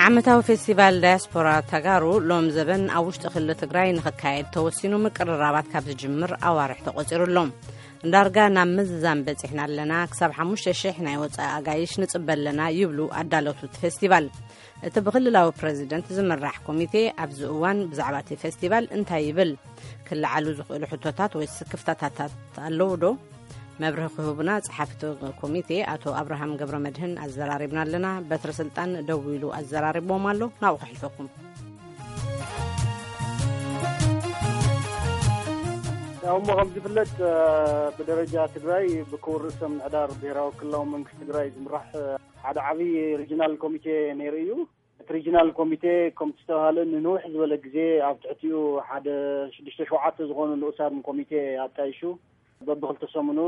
ዓመታዊ ፌስቲቫል ዳያስፖራ ተጋሩ ሎም ዘበን ኣብ ውሽጢ ክልል ትግራይ ንኽካየድ ተወሲኑ፣ ምቅርራባት ካብ ዝጅምር ኣዋርሕ ተቖፂሩ ኣሎ። ዳርጋ ናብ ምዝዛም በፂሕና ኣለና፣ ክሳብ ሓሙሽተ ሽሕ ናይ ወፃኢ ኣጋይሽ ንፅበ ኣለና ይብሉ ኣዳለውቲ እቲ ፌስቲቫል። እቲ ብክልላዊ ፕረዚደንት ዝምራሕ ኮሚቴ ኣብዚ እዋን ብዛዕባ እቲ ፌስቲቫል እንታይ ይብል? ክለዓሉ ዝኽእሉ ሕቶታት ወይ ስክፍታታት ኣለዉ ዶ? መብርሂ ክህቡና ጸሓፊ እቲ ኮሚቴ ኣቶ ኣብርሃም ገብረ መድህን ኣዘራሪብና ኣለና። በትረ ስልጣን ደዊሉ ኣዘራሪብዎም ኣሎ። ናብኡ ከሕልፈኩም። ያው እሞ ከም ዝፍለጥ ብደረጃ ትግራይ ብክቡር ርእሰ ምምሕዳር ብሔራዊ ክልላዊ መንግስቲ ትግራይ ዝምራሕ ሓደ ዓብዪ ሪጅናል ኮሚቴ ነይሩ እዩ። እቲ ሪጅናል ኮሚቴ ከምቲ ዝተባሃለ ንንውሕ ዝበለ ግዜ ኣብ ትሕቲኡ ሓደ ሽዱሽተ ሸውዓተ ዝኾኑ ንኡሳን ኮሚቴ ኣጣይሹ በብክልተ ሰሙኑ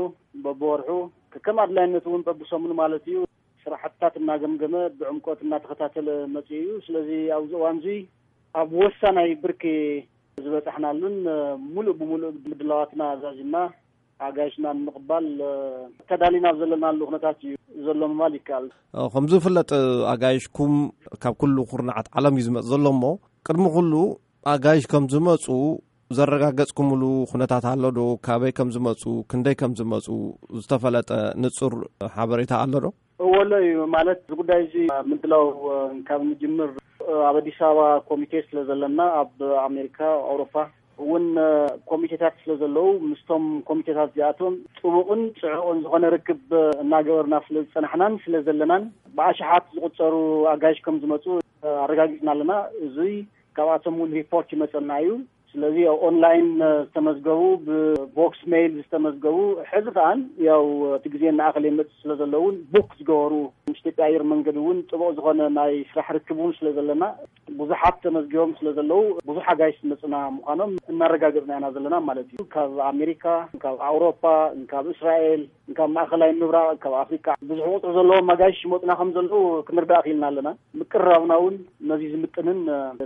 በብወርሑ ከከም ኣድላይነቱ እውን በብሰሙኑ ማለት እዩ ስራሕትታት እናገምገመ ብዕምቆት እናተኸታተለ መፅኡ እዩ። ስለዚ ኣብዚ እዋን እዚ ኣብ ወሳናይ ብርኪ ዝበፃሕናሉን ሙሉእ ብሙሉእ ምድላዋትና ዛዚምና ኣጋይሽና ንምቕባል ተዳሊና ኣብ ዘለናሉ ኩነታት እዩ ዘሎ ምባል ይከኣል። ከምዚ ዝፍለጥ ኣጋይሽኩም ካብ ኩሉ ኩርናዓት ዓለም እዩ ዝመፅ ዘሎ እሞ ቅድሚ ኩሉ ኣጋይሽ ከም ዝመፁ ዘረጋገፅኩምሉ ኩነታት ኣሎ ዶ? ካበይ ከም ዝመፁ፣ ክንደይ ከም ዝመፁ ዝተፈለጠ ንፁር ሓበሬታ ኣሎ ዶ? እወሎ እዩ ማለት እዚ ጉዳይ እዚ ምድላው ካብ ንጅምር ኣብ ኣዲስ ኣበባ ኮሚቴ ስለ ዘለና ኣብ ኣሜሪካ ኣውሮፓ እውን ኮሚቴታት ስለ ዘለዉ ምስቶም ኮሚቴታት እዚኣቶም ጥቡቕን ፅዑቕን ዝኾነ ርክብ እናገበርና ስለ ዝፀናሕናን ስለ ዘለናን ብኣሽሓት ዝቁፀሩ ኣጋይሽ ከም ዝመፁ ኣረጋጊፅና ኣለና። እዙይ ካብኣቶም እውን ሪፖርት ይመፀና እዩ። ስለዚ ኣብ ኦንላይን ዝተመዝገቡ ብቦክስ ሜይል ዝተመዝገቡ ሕዚ ከዓን ያው እቲ ግዜ እናኣኸለ ይመፅእ ስለ ዘለውን ቡክ ዝገበሩ ምስ ኢትዮጵያ ኣየር መንገድ እውን ጥቡቕ ዝኾነ ናይ ስራሕ ርክብ እውን ስለ ዘለና ብዙሓት ተመዝጊቦም ስለ ዘለዉ ብዙሕ ኣጋይሽ ዝመፅና ምዃኖም እናረጋገፅና ኢና ዘለና ማለት እዩ። ካብ ኣሜሪካ፣ ካብ ኣውሮፓ፣ ካብ እስራኤል፣ ካብ ማእኸላይ ምብራቕ፣ ካብ ኣፍሪቃ ብዙሕ ቁፅሪ ዘለዎም ኣጋይሽ ይመፁና ከም ዘለዉ ክንርዳእ ክኢልና ኣለና። ምቅርራብና እውን ነዚ ዝምጥንን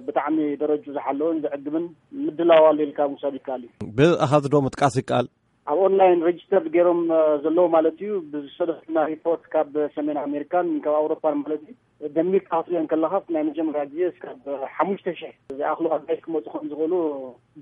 ብጣዕሚ ደረጁ ዝሓለወን ዘዕግብን ምድላው ኣሎ ኢልካ ምውሳድ ይከኣል እዩ። ብኣሃዝ ዶ ምጥቃስ ይከኣል? ኣብ ኦንላይን ሬጅስተር ገይሮም ዘለዉ ማለት እዩ። ብዝሰደትና ሪፖርት ካብ ሰሜን ኣሜሪካን ካብ ኣውሮፓን ማለት እዩ። ደሚርካ ክትሪኦ እንከለኻስ ናይ መጀመርያ ግዜ እስካብ ሓሙሽተ ሽሕ ዝኣኽሉ ኣጋይሽ ክመፁ ከም ዝኽእሉ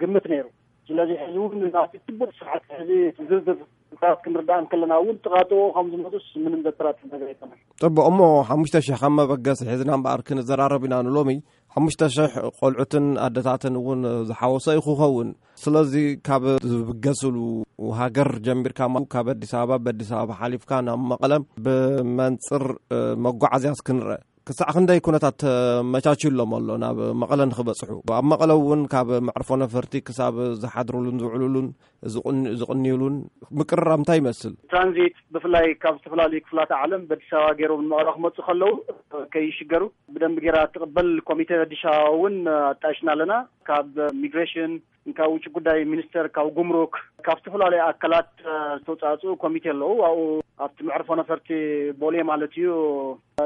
ግምት ነይሩ። ስለዚ ሕዚ እውን ናብቲ ጽቡቕ ስርዓት ሕዚ ዝርዝር ቁጽርታት ክንርዳእ እንከለና እውን ጥቓጥቑ ከም ዝመጹስ ምንም ዘጠራጥር ነገር ኣይኮነን። ጽቡቕ እሞ ሓሙሽተ ሽሕ ከም መበገሲ ሒዝና እምበኣር ክንዘራረብ ኢና ንሎሚ። ሓሙሽተ ሽሕ ቆልዑትን ኣደታትን እውን ዝሓወሰ እዩ ክኸውን። ስለዚ ካብ ዝብገስሉ ሃገር ጀሚርካ ማ- ካብ ኣዲስ ኣበባ ብኣዲስ ኣበባ ሓሊፍካ ናብ መቐለ ብመንጽር መጓዓዝያስ ክንርአ ክሳዕ ክንደይ ኩነታት ተመቻችዩሎም ኣሎ ናብ መቐለ ንክበፅሑ? ኣብ መቐለ እውን ካብ መዕርፎ ነፈርቲ ክሳብ ዝሓድሩሉን ዝውዕሉሉን ዝቕንዩሉን ምቅርራብ እንታይ ይመስል? ትራንዚት ብፍላይ ካብ ዝተፈላለዩ ክፍላተ ዓለም በኣዲስ ኣበባ ገይሮም ንመቐለ ክመፁ ከለዉ ከይሽገሩ ብደንቢ ገይራ ትቕበል ኮሚተ ኣዲስ ኣበባ እውን ኣጣይሽና ኣለና። ካብ ሚግሬሽን ካብ ውጭ ጉዳይ ሚኒስተር ካብ ጉምሩክ ካብ ዝተፈላለዩ ኣካላት ዝተውፃእፅኡ ኮሚቴ ኣለዉ። ኣብኡ ኣብቲ መዕርፎ ነፈርቲ ቦሌ ማለት እዩ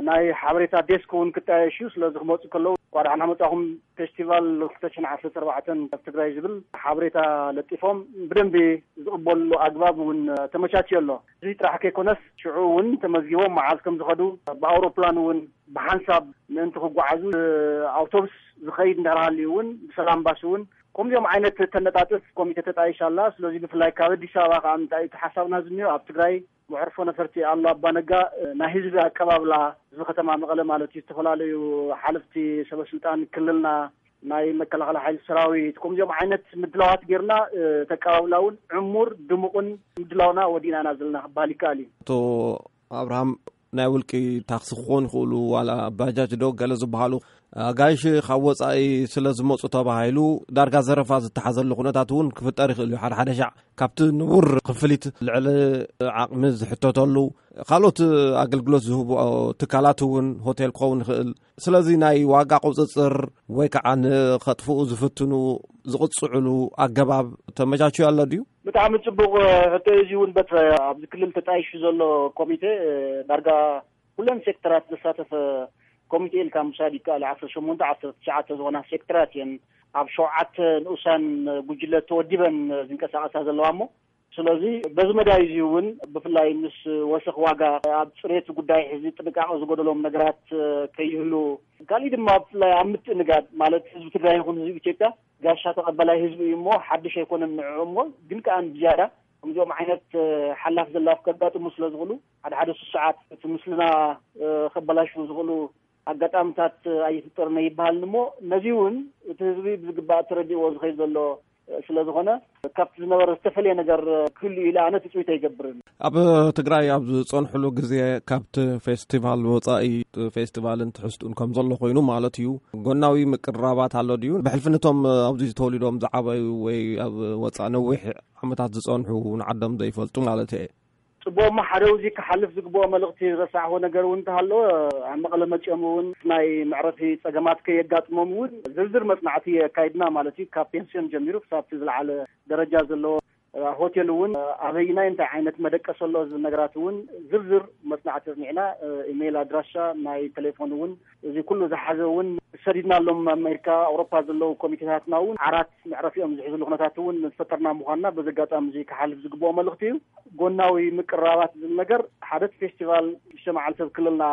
ናይ ሓበሬታ ዴስክ እውን ክጣየሽ እዩ። ስለዚ ክመፁ ከለዉ እንኳዕ ደሓና መፃኹም ፌስቲቫል ክልተ ሽሕን ዓሰርተ ኣርባዕተን ኣብ ትግራይ ዝብል ሓበሬታ ለጢፎም ብደንቢ ዝቕበልሉ ኣግባብ እውን ተመቻችዮ ኣሎ። እዚ ጥራሕ ከይኮነስ ሽዑ እውን ተመዝጊቦም መዓዝ ከም ዝኸዱ ብኣውሮፕላን እውን ብሓንሳብ ምእንቲ ክጓዓዙ ኣውቶቡስ ዝኸይድ እንዳሃልዩ እውን ብሰላም ባስ እውን ከምዚኦም ዓይነት ተነጣጥፍ ኮሚቴ ተጣይሻ ኣላ። ስለዚ ብፍላይ ካብ ኣዲስ ኣበባ ከዓ እንታይ እቲ ሓሳብና ዝኒዮ ኣብ ትግራይ መዕርፎ ነፈርቲ ኣሎ ኣባነጋ ናይ ህዝቢ ኣቀባብላ ህዝቢ ከተማ መቐለ ማለት እዩ። ዝተፈላለዩ ሓለፍቲ ሰበስልጣን ክልልና ናይ መከላኸሊ ሓይሊ ሰራዊት ከምዚኦም ዓይነት ምድላዋት ጌርና ተቀባብላ እውን ዕሙር ድሙቕን ምድላውና ወዲእና ኢና ዘለና ክበሃል ይከኣል እዩ። ኣቶ ኣብርሃም ናይ ውልቂ ታክሲ ክኾኑ ይኽእሉ ዋላ ባጃጅ ዶ ገለ ዝበሃሉ ኣጋይሽ ካብ ወፃኢ ስለ ዝመፁ ተባሂሉ ዳርጋ ዘረፋ ዝተሓዘሉ ኩነታት እውን ክፍጠር ይኽእል እዩ። ሓደ ሓደ ሻዕ ካብቲ ንቡር ክፍሊት ልዕሊ ዓቕሚ ዝሕተተሉ ካልኦት ኣገልግሎት ዝህቡ ትካላት እውን ሆቴል ክኸውን ይኽእል። ስለዚ ናይ ዋጋ ቁፅፅር ወይ ከዓ ንኸጥፍኡ ዝፍትኑ ዝቕፅዕሉ ኣገባብ ተመቻችዩ ኣሎ ድዩ? ብጣዕሚ ፅቡቕ ሕቶ እዩ። እዚ እውን በትረ ኣብዚ ክልል ተጣይሹ ዘሎ ኮሚቴ ዳርጋ ኩለን ሴክተራት ዘሳተፈ ኮሚቴ ኢልካ ምውሳድ ይከኣል። ዓሰርተ ሸሞንተ ዓሰርተ ትሽዓተ ዝኾና ሴክተራት እየን ኣብ ሸውዓተ ንኡሳን ጉጅለ ተወዲበን ዝንቀሳቐሳ ዘለዋ እሞ ስለዚ በዚ መዳይ እዚ እውን ብፍላይ ምስ ወሰኽ ዋጋ ኣብ ፅሬት ጉዳይ ሕዚ ጥንቃቐ ዝጎደሎም ነገራት ከይህሉ፣ ካሊእ ድማ ብፍላይ ኣብ ምትእንጋድ ማለት ህዝቢ ትግራይ ይኹን ህዝቢ ኢትዮጵያ ጋሻ ተቐበላይ ህዝቢ እዩ እሞ ሓድሽ ኣይኮነን ንዕኡ እሞ ግን ከዓ ብዝያዳ ከምዚኦም ዓይነት ሓላፍ ዘላፍ ከጋጥሙ ስለ ዝኽእሉ ሓደ ሓደ ስሱዓት እቲ ምስልና ከበላሽዉ ዝኽእሉ ኣጋጣምታት ኣይፍጠርነ ይበሃልን እሞ ነዚ እውን እቲ ህዝቢ ብዝግባእ ተረዲእዎ ዝኸይድ ዘሎ ስለ ዝኾነ ካብቲ ዝነበረ ዝተፈለየ ነገር ክህሉ ኢለ ኣነ ትፅቢት ኣይገብርን። ኣብ ትግራይ ኣብ ዝፀንሕሉ ግዜ ካብቲ ፌስቲቫል ወፃኢ ፌስቲቫልን ትሕዝቱን ከም ዘሎ ኮይኑ ማለት እዩ። ጎናዊ ምቅርራባት ኣሎ ድዩ? ብሕልፍነቶም ኣብዚ ተወሊዶም ዝዓበዩ ወይ ኣብ ወፃኢ ነዊሕ ዓመታት ዝፀንሑ ንዓዶም ዘይፈልጡ ማለት እየ። ፅቡቕማ ሓደ ውዚ ክሓልፍ ዝግብኦ መልእኽቲ ዝረሳዕዎ ነገር እውን እንተሃለወ ኣብ መቐለ መፂኦም እውን ናይ መዕረፊ ፀገማት ከየጋጥሞም እውን ዝርዝር መፅናዕቲ የካይድና ማለት እዩ። ካብ ፔንስዮን ጀሚሩ ክሳብቲ ዝለዓለ ደረጃ ዘለዎ ሆቴል እውን ኣበይናይ እንታይ ዓይነት መደቀስ ኣሎ ዝብል ነገራት እውን ዝርዝር መፅናዕቲ ኣፅኒዕና ኢሜይል ኣድራሻ ናይ ቴሌፎን እውን እዚ ኩሉ ዝሓዘ እውን ሰዲድናሎም ኣሜሪካ ኣውሮፓ ዘለዉ ኮሚቴታትና እውን ዓራት መዕረፊኦም ዝሕዝሉ ኩነታት እውን ዝፈጠርና ምኳንና በዚ ኣጋጣሚ እዚ ክሓልፍ ዝግብኦ መልእኽቲ እዩ። ጎናዊ ምቅርራባት ዝብል ነገር ሓደ እቲ ፌስቲቫል ሽዱሽተ መዓልቲ ኣብ ክልልና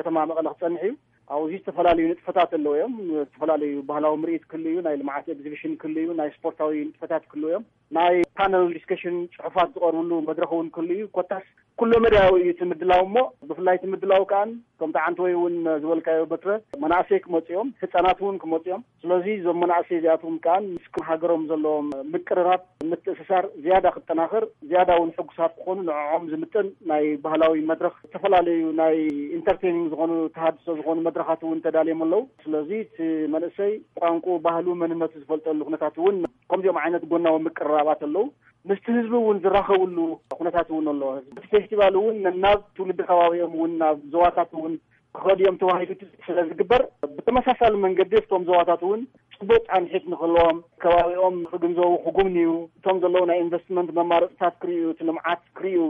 ከተማ መቐለ ክፀንሕ እዩ። ኣብዚ ዝተፈላለዩ ንጥፈታት ኣለዉ እዮም። ዝተፈላለዩ ባህላዊ ምርኢት ክህሉ እዩ፣ ናይ ልምዓት ኤግዚቢሽን ክህሉ እዩ፣ ናይ ስፖርታዊ ንጥፈታት ክህሉ እዮም፣ ናይ ፓነል ዲስከሽን ፅሑፋት ዝቐርብሉ መድረኽ እውን ክህሉ እዩ። ኮታስ ኩሎ መዳያዊ እዩ እቲ ምድላው እሞ ብፍላይ እቲ ምድላው ከዓን ከምቲ ዓንተወይ እውን ዝበልካዮ በትረ መናእሰይ ክመፁ እዮም፣ ህፃናት እውን ክመፁ እዮም። ስለዚ እዞም መናእሰይ እዚኣቶም ከዓን ምስ ሃገሮም ዘለዎም ምቅርራብ ምትእስሳር ዝያዳ ክጠናኸር ዝያዳ እውን ሕጉሳት ክኾኑ ንዕኦም ዝምጥን ናይ ባህላዊ መድረኽ ዝተፈላለዩ ናይ ኢንተርቴኒንግ ዝኾኑ ተሃድሶ ዝኾኑ መድረኻት እውን ተዳልዮም ኣለዉ። ስለዚ እቲ መንእሰይ ቋንቁ ባህሉ መንነቱ ዝፈልጠሉ ኩነታት እውን ከምዚኦም ዓይነት ጎናዊ ምቅርራባት ኣለዉ። ምስቲ ህዝቢ እውን ዝራኸብሉ ኩነታት እውን ኣሎ። እቲ ፌስቲቫል እውን ናብ ትውልዲ ከባቢኦም እውን ናብ ዞባታት እውን ክኸዱ እዮም ተባሂሉ ስለ ዝግበር ብተመሳሳሊ መንገዲ እቶም ዞባታት እውን ፅቡቅ ፃንሒት ንክህልዎም ከባቢኦም ክግንዘቡ ክጉብንዩ እቶም ዘለዉ ናይ ኢንቨስትመንት መማረፅታት ክርእዩ እቲ ልምዓት ክርእዩ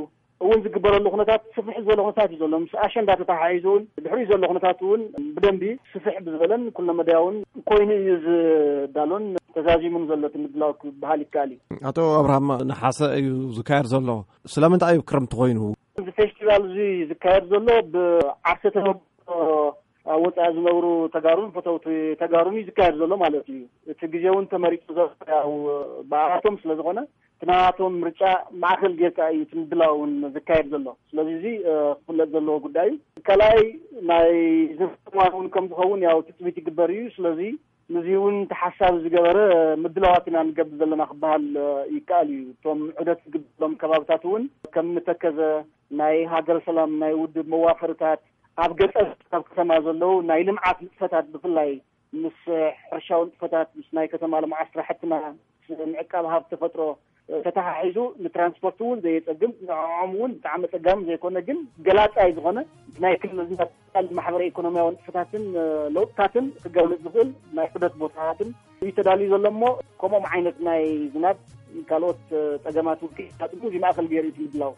እውን ዝግበረሉ ኩነታት ስፍሕ ዝበለ ኩነታት እዩ ዘሎ። ምስ ኣሸንዳ ተተሓሒዙ እውን ድሕሪኡ ዘሎ ኩነታት እውን ብደንቢ ስፍሕ ብዝበለን ኩለመዳያውን ኮይኑ እዩ ዝዳሎን ተዛዚሙን ዘሎ እቲ ምድላው ክበሃል ይከኣል እዩ። ኣቶ ኣብርሃም ነሓሰ እዩ ዝካየድ ዘሎ። ስለምንታይ እዩ ክረምቲ ኮይኑ? እዚ ፌስቲቫል እዚ ዝካየድ ዘሎ ብዓርሰ ተመክሮ ኣብ ወፃኢ ዝነብሩ ተጋሩን ፈተውቲ ተጋሩን እዩ ዝካየድ ዘሎ ማለት እዩ። እቲ ግዜ እውን ተመሪፁ ዘሎ ያው ብኣቶም ስለ ዝኾነ እቲ ናቶም ምርጫ ማእኸል ጌርካ እዩ እቲ ምድላው እውን ዝካየድ ዘሎ። ስለዚ እዚ ክፍለጥ ዘለዎ ጉዳይ እዩ። ካልኣይ ናይ ዝምዋን እውን ከም ዝኸውን ያው ትፅቢት ይግበር እዩ። ስለዚ ንዚ እውን ተሓሳቢ ዝገበረ ምድላዋት ኢና ንገብር ዘለና ክበሃል ይከኣል እዩ። እቶም ዑደት ዝግበሎም ከባብታት እውን ከም ተከዘ ናይ ሃገር ሰላም ናይ ውድብ መዋፈርታት ኣብ ገጠር ካብ ከተማ ዘለዉ ናይ ልምዓት ንጥፈታት ብፍላይ ምስ ሕርሻዊ ንጥፈታት ምስ ናይ ከተማ ልምዓት ስራሕትና ምስ ምዕቃብ ሃብቲ ተፈጥሮ ተተሓሒዙ ንትራንስፖርት እውን ዘየፀግም ንዕኦም እውን ብጣዕሚ ፀጋሚ ዘይኮነ ግን ገላፃይ ዝኾነ ናይ ክልልና ማሕበረ ኢኮኖሚያዊ ንጥፈታትን ለውጥታትን ክገልፅ ዝኽእል ናይ ዑደት ቦታታትን እዩ ተዳልዩ ዘሎ እሞ ከምኦም ዓይነት ናይ ዝናብ ካልኦት ፀገማት እውን ከይጋጥሙ እዚ ማእኸል ገይሩ እዩ ምድላው።